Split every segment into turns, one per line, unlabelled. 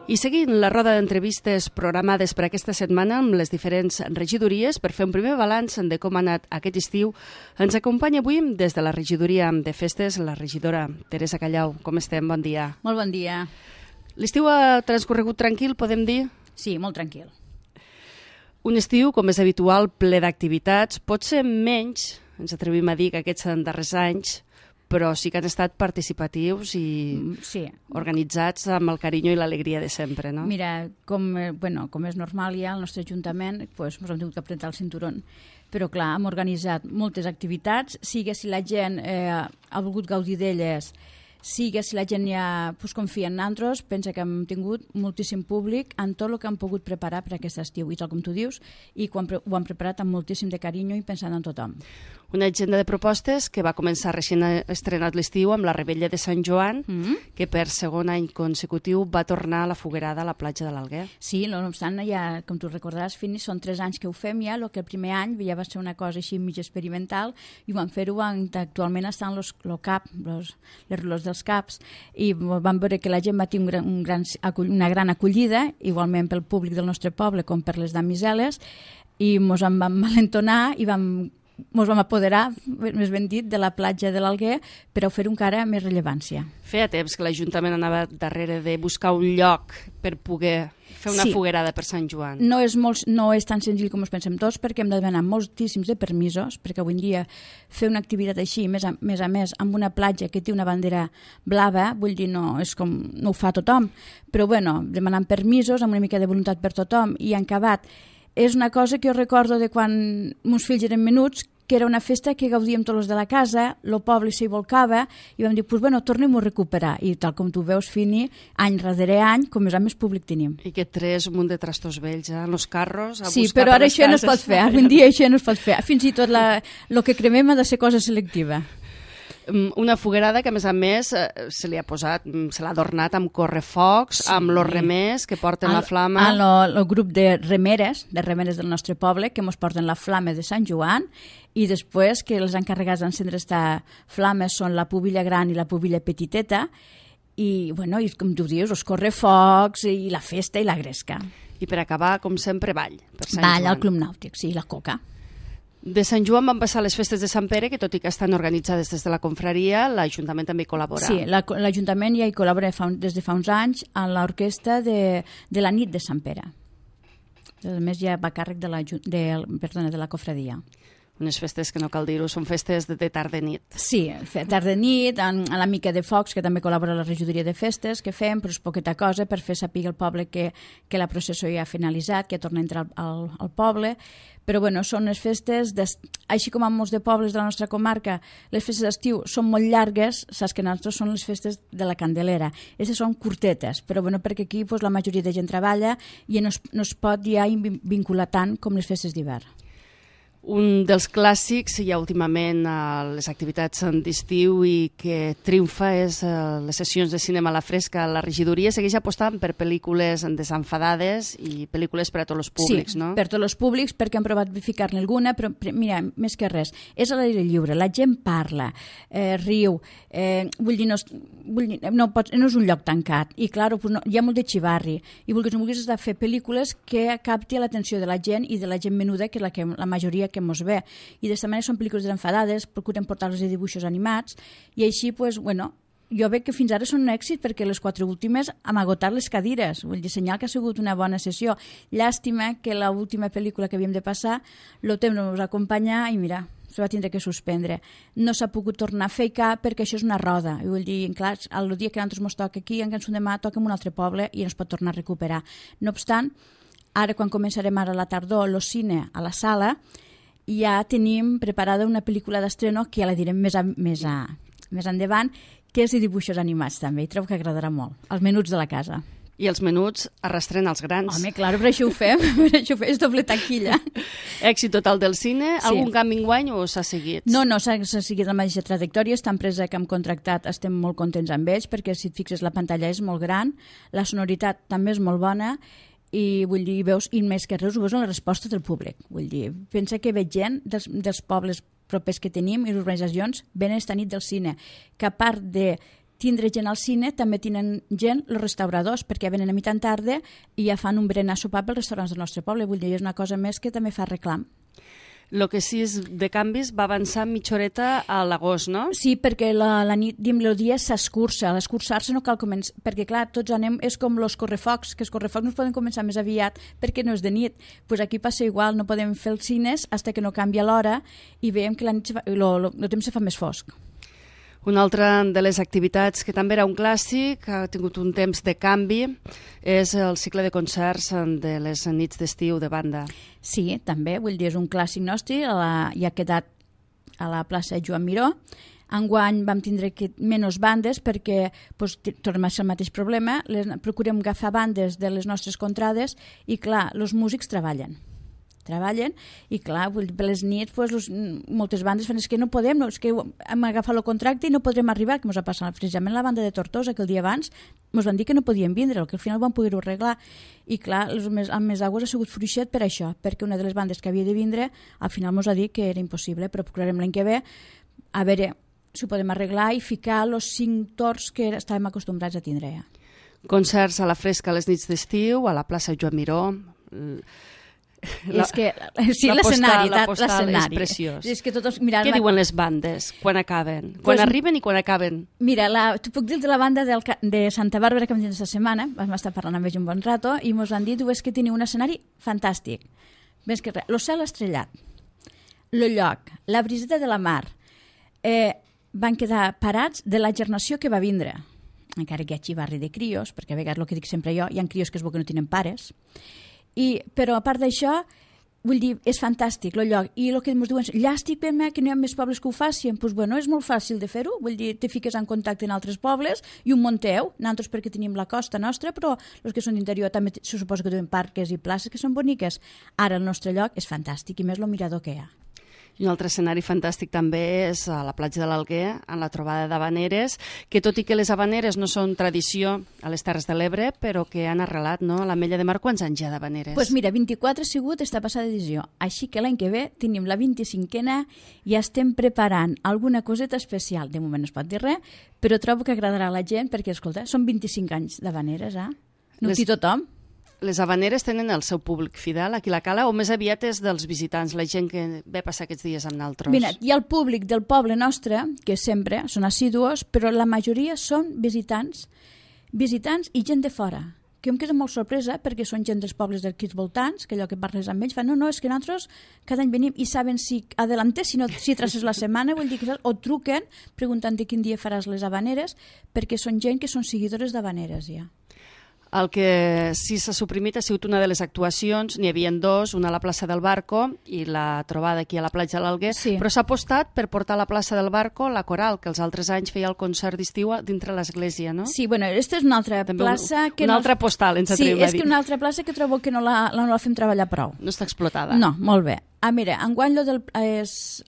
I seguint la roda d'entrevistes programades per aquesta setmana amb les diferents regidories per fer un primer balanç de com ha anat aquest estiu, ens acompanya avui des de la regidoria de festes la regidora Teresa Callau. Com estem? Bon dia.
Molt bon dia.
L'estiu ha transcorregut tranquil, podem dir?
Sí, molt tranquil.
Un estiu, com és habitual, ple d'activitats, pot ser menys, ens atrevim a dir que aquests darrers anys, però sí que han estat participatius i organitzats amb el carinyo i l'alegria de sempre, no?
Mira, com és normal ja, el nostre Ajuntament ens hem tingut que apretar el cinturón, però clar, hem organitzat moltes activitats, sigui si la gent ha volgut gaudir d'elles, sigui si la gent ja confia en nosaltres, pensa que hem tingut moltíssim públic en tot el que hem pogut preparar per aquest estiu, i tal com tu dius, i ho hem preparat amb moltíssim de carinyo i pensant en tothom.
Una agenda de propostes que va començar recent estrenat l'estiu amb la Rebella de Sant Joan, que per segon any consecutiu va tornar a la foguerada a la platja de l'Alguer.
Sí, no obstant, ja, com tu recordaràs, Fini, són 3 anys que ho fem ja, el que el primer any ja va ser una cosa així mig experimental, i ho vam fer-ho actualment estan els relors dels caps, i vam veure que la gent va tenir una gran acollida, igualment pel públic del nostre poble com per les damiseles, i ens en vam malentonar i ens vam apoderar, més ben dit, de la platja de l'Alguer per oferir encara més rellevància.
Feia temps que l'Ajuntament anava darrere de buscar un lloc per poder fer una foguerada per Sant Joan.
No és tan senzill com ens pensem tots, perquè hem de demanar moltíssims de permisos, perquè avui en dia fer una activitat així, més a més, amb una platja que té una bandera blava, vull dir, no ho fa tothom, però bueno, demanant permisos, amb una mica de voluntat per tothom, i en acabat. És una cosa que jo recordo de quan meus fills eren menuts, que era una festa que gaudíem tots els de la casa, el poble s'hi volcava, i vam dir, tornem-ho a recuperar. I tal com tu veus, Fini, any darrere any, com més públic tenim.
I que tres un munt de trastos vells, en els carros, a buscar per les cases.
Sí, però ara això no es pot fer, avui en dia això no es pot fer. Fins i tot el que cremem ha de ser cosa selectiva.
Una foguerada que, a més, se l'ha adornat amb correfocs, amb els remers que porten la flama.
El grup de remeres del nostre poble, que ens porten la flama de Sant Joan, i després que els encarregats d'encendre aquesta flama són la pubilla gran i la pubilla petiteta, i com tu dius, els correfocs, i la festa i la gresca.
I per acabar, com sempre, ball.
Ball al Club Nàutic, sí, la coca.
De Sant Joan van passar les festes de Sant Pere, que tot i que estan organitzades des de la confraria, l'Ajuntament també hi col·labora.
Sí, l'Ajuntament ja hi col·labora des de fa uns anys a l'orquestra de la nit de Sant Pere. A més, ja va a càrrec de la confraria.
Unes festes que no cal dir-ho, són festes de tarda-nit.
Sí, tarda-nit, amb la mica de focs, que també col·labora la regidoria de festes, que fem, però és poqueta cosa per fer saber al poble que la processó ja ha finalitzat, que torna a entrar al poble. Però són les festes, així com en molts de pobles de la nostra comarca, les festes d'estiu són molt llargues, saps que nosaltres són les festes de la Candelera. Aquestes són curtetes, però perquè aquí la majoria de gent treballa i no es pot ja vincular tant com les festes d'hivern.
Un dels clàssics ja últimament a les activitats d'estiu i que triomfa és les sessions de cinema a la fresca. La regidoria segueix apostant per pel·lícules desenfadades i pel·lícules per a tots els públics, no?
Sí, per tots els públics, perquè hem provat ficar-ne alguna, però mira, més que res, és a l'aire lliure, la gent parla, riu, no és un lloc tancat, i clar, hi ha molt de xivarri, i vulguis de fer pel·lícules que capti l'atenció de la gent i de la gent menuda, que és la majoria que mos ve, i d'esta manera són pel·lícules desenfadades, procurem portar-los de dibuixos animats, i així, jo veig que fins ara són un èxit, perquè les 4 últimes hem agotat les cadires, vull dir, senyal que ha sigut una bona sessió. Llàstima que l'última pel·lícula que havíem de passar, el temps no ens acompanya, i mira, se va tindre que suspendre. No s'ha pogut tornar a fer cap, perquè això és una roda, i vull dir, clar, el dia que a nosaltres ens toca aquí, en Cançó de Mà, toca en un altre poble, i no es pot tornar a recuperar. No obstant, ara, quan començarem ara a la tardor, el cine a la sala, ja tenim preparada una pel·lícula d'estreno que ja la direm més endavant, que és de dibuixos animats també, i trobo que agradarà molt, els menuts de la casa.
I els menuts arrastren els grans.
Home, clar, per això ho fem, és doble taquilla.
Èxit total del cine, algun canvi enguany o s'ha seguit?
No, s'ha seguit la mateixa trajectòria, esta empresa que hem contractat estem molt contents amb ells, perquè si et fixes la pantalla és molt gran, la sonoritat també és molt bona, i vull dir, veus, i més que res, ho veus en la resposta del públic. Vull dir, pensa que veig gent dels pobles propers que tenim i les organitzacions venen esta nit del cine, que a part de tindre gent al cine, també tenen gent els restauradors, perquè venen a mitjan tarda i ja fan un berenar sopar pels restaurants del nostre poble. Vull dir, és una cosa més que també fa reclam.
El que sí és de canvis va avançar mitja horeta a l'agost, no?
Sí, perquè la nit, el dia s'escurça. A l'escurçar-se no cal començar, perquè clar, tots anem, és com els correfocs, que els correfocs no es poden començar més aviat perquè no és de nit. Pues aquí passa igual, no podem fer els cines fins que no canvia l'hora i veiem que la nit el temps se fa més fosc.
Una altra de les activitats que també era un clàssic, ha tingut un temps de canvi, és el cicle de concerts de les nits d'estiu de banda.
Sí, també, vull dir, és un clàssic nostre, i ha quedat a la plaça Joan Miró. Enguany vam tindre menys bandes perquè tornem a ser el mateix problema, procurem agafar bandes de les nostres contrades i clar, els músics treballen i clar, per les nits moltes bandes fan, és que no podem, és que hem agafat el contracte i no podrem arribar, que ens ha passat precisament la banda de Tortosa, que el dia abans ens van dir que no podien vindre, que al final van poder-ho arreglar i clar, el mes d'agost ha sigut fluixet per això, perquè una de les bandes que havia de vindre al final ens ha dit que era impossible, però procurarem l'any que ve a veure si ho podem arreglar i ficar els 5 torns que estàvem acostumbrats a tindre ja.
Concerts a la fresca a les nits d'estiu, a la plaça Joan Miró.
És que sí, l'escenari
és preciós.
És que
què diuen les bandes quan acaben? Quan arriben i quan acaben?
Mira, t'ho puc dir de la banda de Santa Bàrbara que vam dir aquesta setmana, vam estar parlant amb ells un bon rato i ens han dit que teniu un escenari fantàstic. Més que res, el cel estrellat, el lloc, la briseta de la mar, van quedar parats de la gernació que va vindre. Encara que hi hagi barri de crios, perquè a vegades el que dic sempre jo, hi ha crios que es veu que no tenen pares, però a part d'això, vull dir, és fantàstic el lloc. I el que ens diuen, llàstima que no hi ha més pobles que ho facin. Doncs bueno, és molt fàcil de fer-ho. Vull dir, te fiques en contacte en altres pobles i un munteu. Nosaltres perquè tenim la costa nostra, però els que són d'interior també se suposa que tenen parques i places que són boniques. Ara el nostre lloc és fantàstic i més el mirador que hi ha.
I un altre escenari fantàstic també és a la platja de l'Alguer, en la trobada d'habaneres, que tot i que les habaneres no són tradició a les Terres de l'Ebre, però que han arrelat, no? A l'Ametlla de Mar, quants anys hi ha d'habaneres?
Doncs mira, 24 ha sigut esta passada edició, així que l'any que ve tenim la 25a i estem preparant alguna coseta especial. De moment no es pot dir res, però trobo que agradarà a la gent perquè, escolta, són 25 anys d'habaneres, No ho té tothom.
Les habaneres tenen el seu públic fidel aquí a la Cala o més aviat és dels visitants, la gent que ve passar aquests dies amb naltros?
Mira, hi ha el públic del poble nostre, que sempre són assidus, però la majoria són visitants i gent de fora, que em queda molt sorpresa perquè són gent dels pobles d'aquí voltants, que allò que parles amb ells fan, no, és que nosaltres cada any venim i saben si adelante, si traces la setmana, vull dir que o truquen preguntant de quin dia faràs les habaneres, perquè són gent que són seguidores d'habaneres ja.
El que sí s'ha suprimit ha sigut una de les actuacions, n'hi havia 2, una a la plaça del Barco i la trobada aquí a la platja de l'Alguer, sí. Però s'ha apostat per portar a la plaça del Barco la coral, que els altres anys feia el concert d'estiu dintre l'església, no?
Sí, bueno, aquesta és una altra plaça...
Una altra postal, ens atrevim a dir.
Sí, és que una altra plaça que trobo que no la fem treballar prou.
No està explotada.
No, molt bé. Mira, enguany és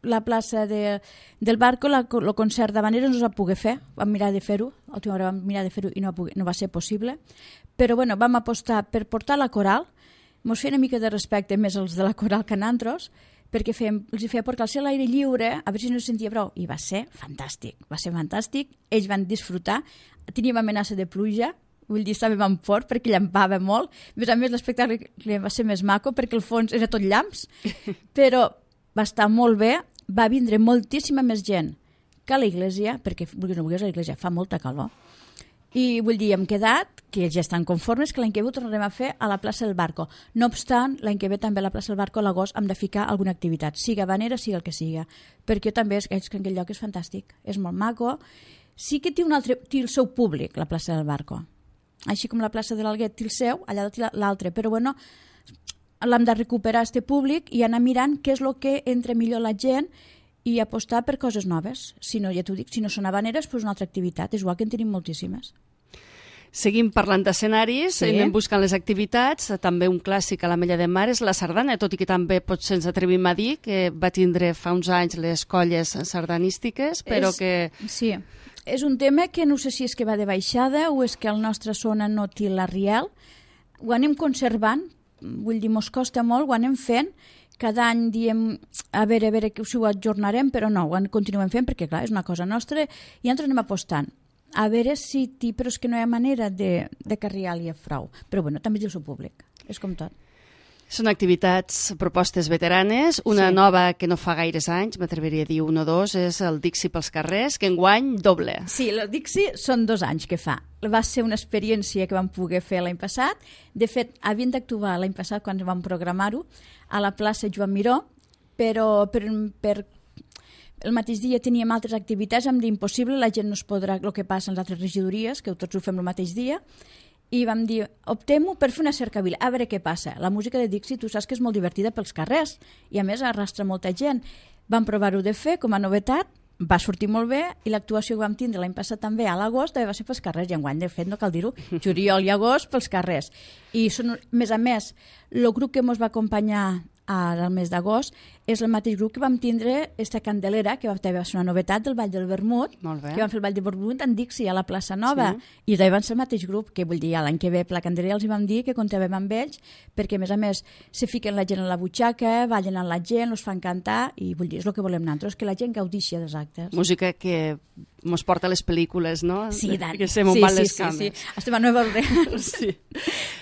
la plaça del Barco, el concert d'habaneres no es va poder fer, vam mirar de fer-ho, l'última hora vam mirar de fer-ho i no va ser possible, però bueno, vam apostar per portar la coral, ens feia una mica de respecte més els de la coral que nantros, perquè els hi feia portar a l'aire lliure, a veure si no es sentia prou, i va ser fantàstic, ells van disfrutar, teníem amenaça de pluja, vull dir, estàvem en fort perquè llampava molt, a més l'espectacle va ser més maco perquè el fons era tot llamps, però va estar molt bé, va vindre moltíssima més gent que a l'església, perquè vulguis o no vulguis a l'església fa molta calor, i vull dir, hem quedat que ja estan conformes que l'any que ve ho tornarem a fer a la plaça del Barco. No obstant, l'any que ve també a la plaça del Barco a l'agost hem de ficar alguna activitat, siga habanera, siga el que siga, perquè també és que aquell lloc és fantàstic, és molt maco, sí que té el seu públic, la plaça del Barco, així com la plaça de l'Alguer té el seu, allà té l'altre, però bueno, l'hem de recuperar este públic i anar mirant què és el que entra millor la gent i apostar per coses noves. Si no, ja t'ho dic, si no són habaneres, doncs una altra activitat. És igual que en tenim moltíssimes.
Seguim parlant d'escenaris, sí. Anem buscant les activitats. També un clàssic a l'Ametlla de Mar és la sardana, tot i que també potser ens atrevim a dir que va tindre fa uns anys les colles sardanístiques, però que...
Sí, és un tema que no sé si és que va de baixada o és que la nostra zona no té la riel. Ho anem conservant, vull dir, mos costa molt, ho anem fent, cada any diem a veure si ho ajornarem, però no, ho continuem fent perquè, clar, és una cosa nostra i ens anem apostant. a veure si però és que no hi ha manera de carregar-li prou. Però bueno, també és el seu públic, és com tot.
Són activitats, propostes veteranes. Una nova que no fa gaires anys, m'atreviria a dir 1 o 2, és el Dixi pels carrers, que enguany doble.
Sí, el Dixi són 2 anys que fa. Va ser una experiència que vam poder fer l'any passat. De fet, havien d'actuar l'any passat quan vam programar-ho a la plaça Joan Miró, però per el mateix dia teníem altres activitats, em dir impossible, la gent no es podrà, el que passa en les altres regidories, que tots ho fem el mateix dia, i vam dir, optem-ho per fer una cercavila, a veure què passa. La música de Dixi, tu saps que és molt divertida pels carrers, i a més arrastra molta gent. Vam provar-ho de fer com a novetat, va sortir molt bé, i l'actuació que vam tindre l'any passat també a l'agost també va ser pels carrers, i enguany, de fet, no cal dir-ho, juliol i agost pels carrers. I són, més a més, el grup que ens va acompanyar al mes d'agost és el mateix grup que vam tindre esta Candelera, que també va ser una novetat del Ball del Vermut, que vam fer el Ball del Vermut en Dixi a la plaça Nova, i també van ser el mateix grup, que vull dir, l'any que ve per la Candelera els hi vam dir que comptàvem amb ells, perquè a més se fiquen la gent a la butxaca, ballen amb la gent, els fan cantar, i vull dir, és el que volem nosaltres, que la gent gaudixi dels actes.
Música que mos porta a les pel·lícules, no?
Sí, tant.
Que se m'ho van les cames.
Sí. Estem a Nova Orleans.
Sí.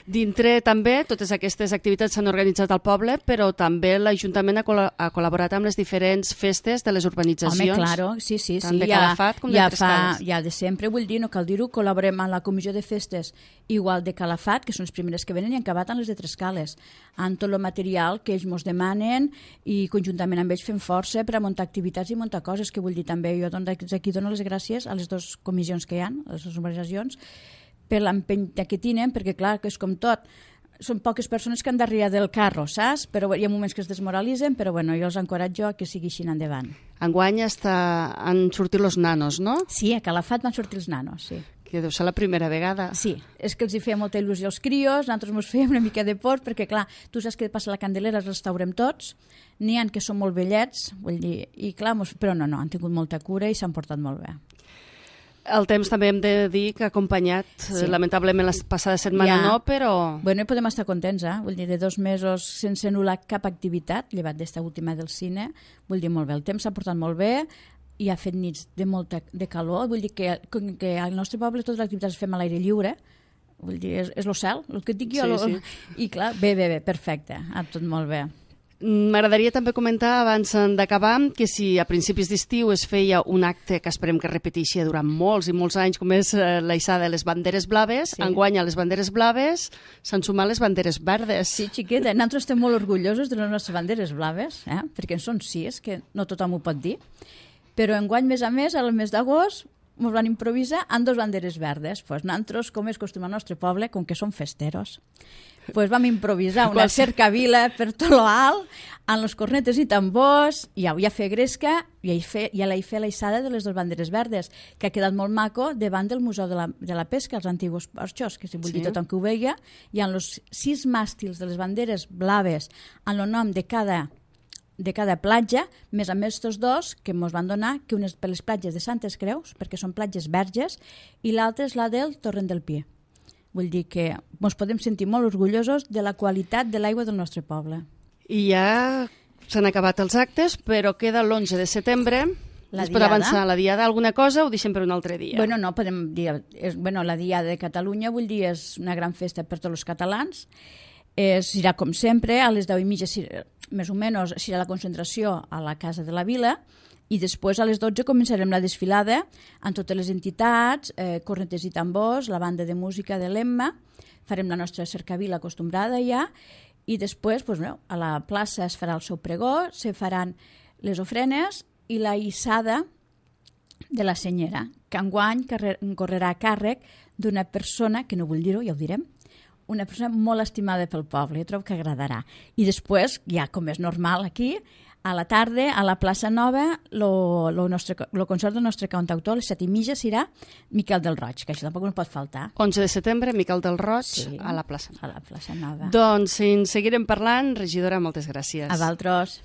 Dintre també, totes aquestes activitats s'han organitzat al poble, però també l'Ajuntament ha col·laborat amb les diferents festes de les urbanitzacions.
Home, claro, sí.
Tant de Calafat com de Trescales.
Ja de sempre, vull dir, no cal dir-ho, col·laborem amb la comissió de festes igual de Calafat, que són les primeres que venen, i han acabat amb les de Trescales, amb tot el material que ells ens demanen, i conjuntament amb ells fem força per a muntar activitats i muntar coses, que vull dir també, jo aquí dono les gràcies a les dues comissions que hi ha, a les dues organitzacions, per l'empenta que tenen, perquè clar, que és com tot, són poques persones que han darrere del carro, saps? Però hi ha moments que es desmoralitzen, però bueno, jo els encoratjo que sigui així endavant.
Enguany han sortit els nanos, no?
Sí, a Calafat van sortir els nanos, sí.
Que deu ser la primera vegada.
Sí, és que els hi feia molta il·lusió als crios, nosaltres ens fèiem una mica de por, perquè clar, tu saps que passa la Candelera, els restaurem tots, n'hi ha que són molt vellets, vull dir, i clar, però no, han tingut molta cura i s'han portat molt bé.
El temps també hem de dir que ha acompanyat, lamentablement la passada setmana no, però...
Bueno, i podem estar contents, vull dir, de 2 mesos sense anul·lar cap activitat, llevat d'esta última del cine, vull dir, molt bé, el temps s'ha portat molt bé, i ha fet nits de calor, vull dir que al nostre poble totes les activitats les fem a l'aire lliure, vull dir, és el cel, el que et dic jo, i clar, bé, perfecte, tot molt bé.
M'agradaria també comentar, abans d'acabar, que si a principis d'estiu es feia un acte que esperem que repeteixi durant molts i molts anys, com és l'eixada de les banderes blaves, enguany a les banderes blaves s'han sumat les banderes verdes.
Sí, xiqueta, nosaltres estem molt orgullosos de les nostres banderes blaves, perquè en són 6, que no tothom ho pot dir, però enguany, més a més, al mes d'agost, ens van improvisar amb 2 banderes verdes. Nosaltres, com és costum al nostre poble, com que som festeros, vam improvisar una cercavila per tot lo alt, amb les cornetes i tambors, i ja fer gresca, i ja l'he fet l'eixada de les 2 banderes verdes, que ha quedat molt maco davant del Museu de la Pesca, els antigos porxos, que si vull dir tothom que ho veia, i amb els 6 màstils de les banderes blaves, amb el nom de cada platja, més a més tots 2 que ens van donar, que una és per les platges de Santes Creus, perquè són platges verges, i l'altra és la del Torrent del Pi. Vull dir que ens podem sentir molt orgullosos de la qualitat de l'aigua del nostre poble.
I ja s'han acabat els actes, però queda l'11 de setembre. Es pot avançar la diada, alguna cosa, o ho deixem per un altre dia?
Bueno, no, podem dir... la diada de Catalunya, vull dir, és una gran festa per tots els catalans. Serà com sempre, a les 10:30, més o menys, serà la concentració a la Casa de la Vila, i després a les 12 començarem la desfilada amb totes les entitats, cornetes i tambors, la banda de música de l'Emma, farem la nostra cercavila acostumbrada ja, i després a la plaça es farà el seu pregó, se faran les ofrenes i la hissada de la senyera, que enguany correrà a càrrec d'una persona, que no vull dir-ho, ja ho direm, una persona molt estimada pel poble, jo trobo que agradarà. I després, ja com és normal aquí, a la tarda, a la plaça Nova, el concert del nostre cantautor, a les 7:30, serà Miquel del Roig, que això tampoc no pot faltar.
11 de setembre, Miquel del Roig, a la plaça Nova.
A la plaça Nova.
Doncs en seguirem parlant. Regidora, moltes gràcies.
A vosaltres.